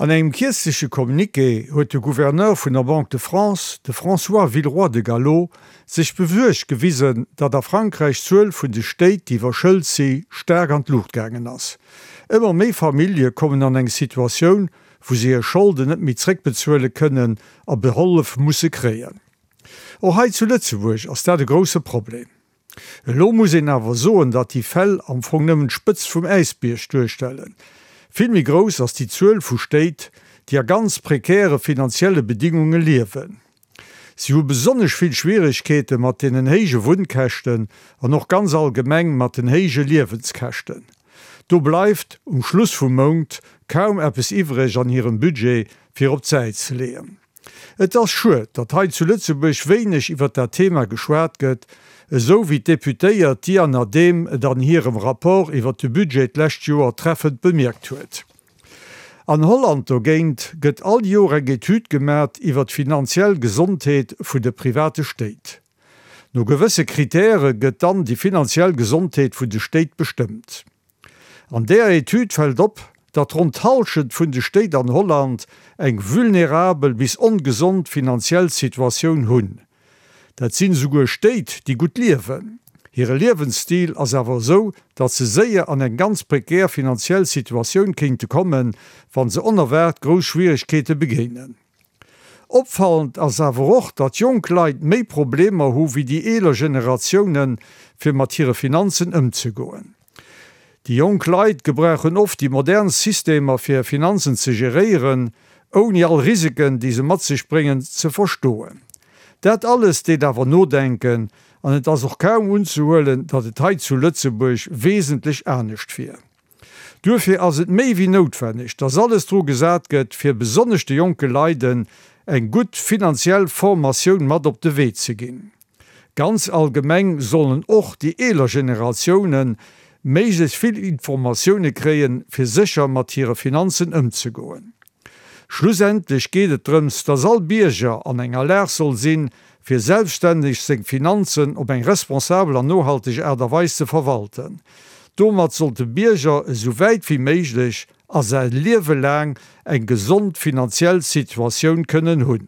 An engem kierzleche Communiqué huet de Gouverneur vun der Banque de France, de François Villeroy de Galhau, sech besuergt gewisen, datt a Frankräich d'Zuel vun de Stéit, déi iwwerschëlt si, staark an d'Luucht gaangen ass. Ëmmer méi Famillje kommen an eng Situatioun, wou se hir Scholden net méi zréckbezuele kënnen a Behollef musse kréien. Och hei zu Lëtzebuerg ass dat e grousse Problem. Elo muss een awer soen, datt déi Fäll am Fong nëmmen d'Spëtzt vum Äisbierg duerstellen. Vill méi grouss ass déi Zuel vu Stéit, déi a ganz prekäre finanzielle Bedingunge liewen. Si hu besonnesch vill Schwieregkeete mat deenen héije Wunnkäschten an och ganz allgemeng mat den héije Liewenskäschten. Do bleift um Schluss vum Mount kaum eppes iwwreg an hirem Budget fir op d'Säit ze leeën. Et ass schued, datt hei zu Lëtzebuerg wéineg iwwer dat Thema geschwat gëtt, esou wéi d'Deputéiert Diana Dehm et an hirem Rapport iwwer de Budget d'lescht Joer treffend bemierkt huet. An Holland dogéint gëtt all Joer eng Etüd gemat iwwer d'finanziell Gesondheet vun de private Stéit. No gewësse Kritäre gëtt dann déi finanziell Gesondheet vun de Stéit bestëmmt. An där Etüd fält op, datt ronn d'Hallschent vun de Stéit an Holland eng vulnerabel bis ongesond finanziell Situatioun hunn. Dat sinn esouguer Stéit, déi gutt liewen. Hire Liewensstil ass awer esou, datt se séier an eng ganz prekär finanziell Situatioun kéinte kommen, wa se onerwaart grouss Schwieregkeete begéinen. Opfallend ass awer och, datt jonk Leit méi Problemer hu wéi déi eeler Generatiounen, fir mat hire Finanzen ëmzegoen. Déi jonk Leit gebrauchen oft déi modern Systemer fir hir Finanzen ze geréieren, ouni all Risiken, déi se mat sech bréngen, ze verstoen. Dat alles deet awer nodenken an et ass och kaum unzehuelen, datt et hei zu Lëtzebuerg wesentlech anescht wier. Duerfir ass et méi wéi noutwenneg, dass alles dru gesat gëtt, fir besonnesch de jonke Leiden eng gutt finanziell Formatioun mat op de Wee ze ginn. Ganz allgemeng sollen och déi eeler Generatiounen méiglechst vill Informatioune kréien, fir sécher mat hire Finanzen ëmzegoen. Schlussendlech geet et drëms, dass all Bierger an enger Lag soll sinn, fir selbststänneg seng Finanzen op eng responsabel an nohalteg Aart a Weis ze verwalten. Domat soll de Bierger esou wäit wéi méiglech a säi Liewe laang eng gesond finanziell Situatioun kënnen hunn.